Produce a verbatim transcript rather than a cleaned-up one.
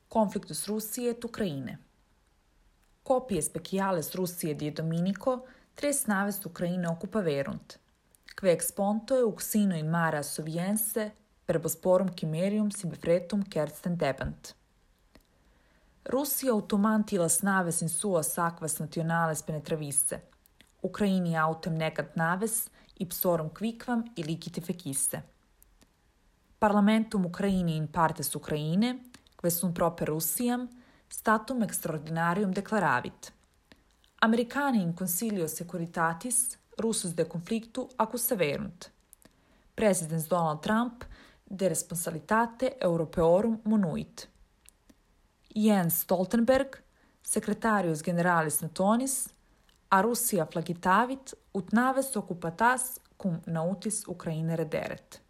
Conflictus Russije et Ukraine. Copies speciales Russije die Dominico tres naves Ukraine occupaverunt, que exponto uxino in mare assoviense per bosporum chimerium sibi fretum kersten debent. Russia automanti las naves in suas aquas nationales penetravisse, Ukraini autem negant naves ipsorum quicvam illicite fecisse. Parlamentum Ukraini in partes Ukraine, que sunt proper Russiam, statum extraordinarium declaravit. Americani in Consilio Securitatis Russus de conflictu accusaverunt. Presidens Donald Trump de responsabilitate europeorum monuit. Jens Stoltenberg, secretarius generalis Natonis, a Russia flagitavit ut naves occupatas cum nautis Ukraine rederet.